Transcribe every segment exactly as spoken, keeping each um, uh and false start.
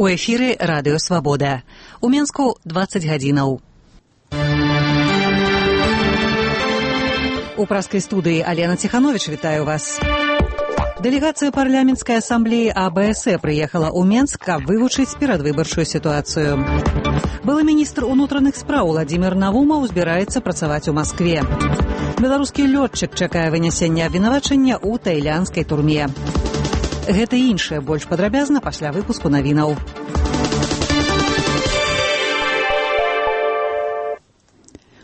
У эфіры радыё Свабода. У Менску дваццаць гадзінаў. У праскай студыі Алена Ціхановіч вітаю вас. Дэлегацыя парламенцкай асамблеі А Бэ Эс Э прыехала ў Менск, каб вывучыць перадвыбарчую сітуацыю. Былы міністр унутраных спраў Владзімір Навумаў збіраецца працаваць у Маскве. Беларускі лётчык чакае вынясення абвінавачання ў таілянскай турме. Гэта і іншае больш падрабязна пасля выпуску навінаў.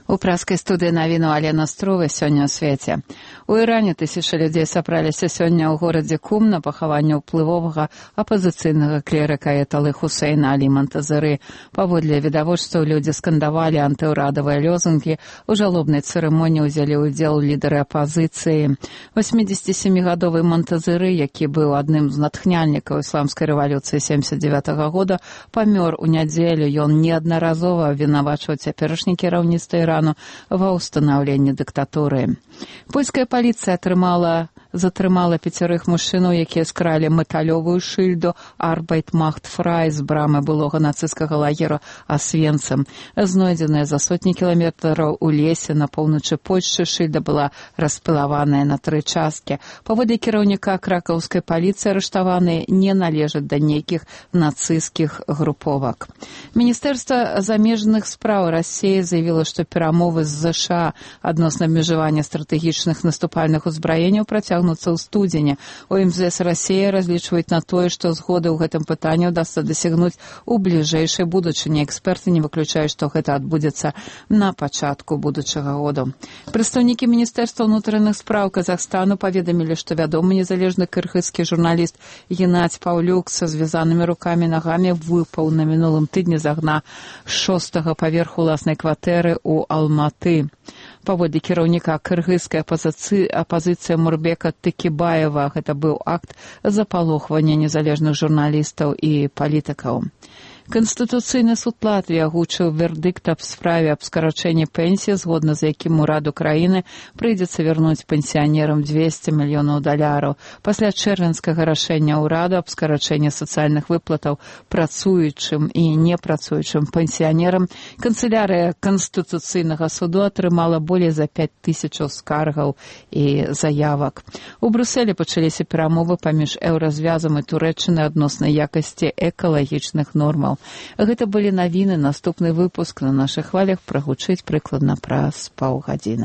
У праскай студыі навіну Алена Струвы сёння ў свеце. У Іране тысячы людзей сабраліся сёння ў горадзе Кум на пахаванне ўплывовага апазіцыйнага клерыка Аяталы Хусейна Алі Монтазеры. Паводле відавочцаў людзі скандавалі антыўрадавыя лёзунгі. У жалобнай цырымоніі ўзялі ўдзел лідары апазіцыі. восьмідзесяцісямігадовы Монтазеры, які быў адным з натхняльнікаў ісламскай рэвалюцыі семдзесят дзевятага года, памёр у нядзелю. Ён неаднаразова абвінавачваў цяперашні кіраўніцтва Ірану ва ўстанаўленні дыктатуры. Польская паліцыя атрымала затрымала пяцярых мужчынаў, якія скралі металёвую шыльду «Арбайт Махт Фрай» з брамы былога нацысцкага лагера Асвенцым. Знойдзеная за сотні кіламетраў у лесе на поўначы Польшчы, шыльда была распілаваная на тры часткі. Паводле кіраўніка кракаўскай паліцыі арыштаваныя не належаць да нейкіх нацысцкіх груповак. Міністэрства замежных спраў Расіі заявіла, што перамовы з Зэ Ша адносна абмежавання стратэгічных наступальных узбраенняў працягнуцца ў студзені. У Эм Зэ Эс Расіі разлічваюць на тое, што згоды ў гэтым пытанні ўдасца дасягнуць у бліжэйшай будучыні. Эксперты не выключаюць, што гэта адбудзецца на пачатку будучага году. Прадстаўнікі Міністэрства ўнутраных спраў Казахстану паведамілі, што вядомы незалежны кыргызскі журналіст Геннадзь Паўлюк са звязанымі рукамі і нагамі выпаў на мінулым тыдні з акна шостага паверху ўласнай кватэры ў Алматы. Паводле кіраўніка кыргызскай апазіцыі апазіцыя Мурбека Тыкібаева, гэта быў акт запалохвання незалежных журналістаў і палітыкаў. Канстытуцыйны суд Латвіі агучыў вердыкт аб справе аб скарачэнні пенсіі, згодна з якім ураду краіны прыйдзецца вярнуць пенсіянерам дзвесце мільёнаў даляраў. Пасля чэрвеньскага рашэння ўраду аб скарачэнні сацыяльных выплатаў працуючым і непрацуючым пенсіянерам канцылярыя Канстытуцыйнага суду атрымала болей за пяць тысячаў скаргаў і заявак. У Брусэлі пачаліся перамовы паміж еўразвязам і Турэччынай адносна якасці экалагічных нормаў. Гэта былі навіны. Наступны выпуск на нашых хвалях прагучыць прыкладна праз паўгадзіны.